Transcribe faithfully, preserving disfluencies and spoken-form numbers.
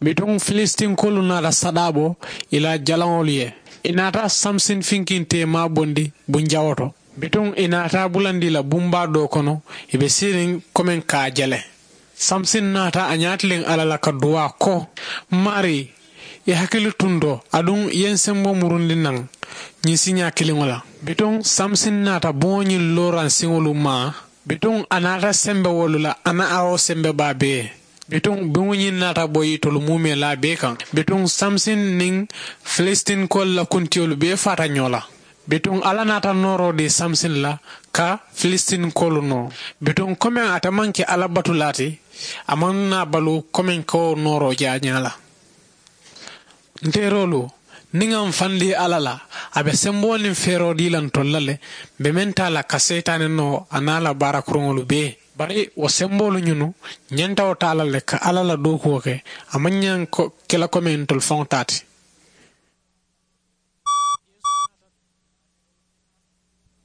Bituŋ filistinkoolu naata saɗaabo ì la jalaŋolu ye. Ì naata samsin finkintee maabondi bunjawo to. Bituŋ ì naata a bulandi ì la bumbaa doo kono, ì be siiriŋ komeŋ ka a jele. Samsin naata a ñaatiliŋ alla la ka duwaa ko, maarii, ì hakili tunto aduŋ ì ye n sembo murundi naŋ ñiŋ siiñaa kiliŋo la. Bituŋ samsin naata buŋo ñiŋ looraŋ siŋolu maa. Bituŋ a naata sembe wolu la a na a wo sembe baa bee. Bituŋ buŋo ñiŋ naata boyi tolu muumee laa bee kaŋ. Bituŋ samsin niŋ filistinkoolu la kuntiyolu bee faata ñoo la. Bituŋ alla naata nooroo dii samsin la ka filistinkoolu noo. Bituŋ komeŋ ate maŋ ke alla batulaa ti, a maŋ naa baluu komeŋ ka wo nooroo jaa ñaa la. Nteeroolu, niŋ ŋa m fandii alla la, a be semboo niŋ feeroo dii la ntolu la le. M be meŋ taa la ka seyitaane noo a niŋ a la baara kuruŋolu bee. Bari wo semboolu ñunu, ñanta wo taa la le ka alla la dookuwo ke. A maŋ ñaŋ ke la komeŋ ntolu faŋo taa ti.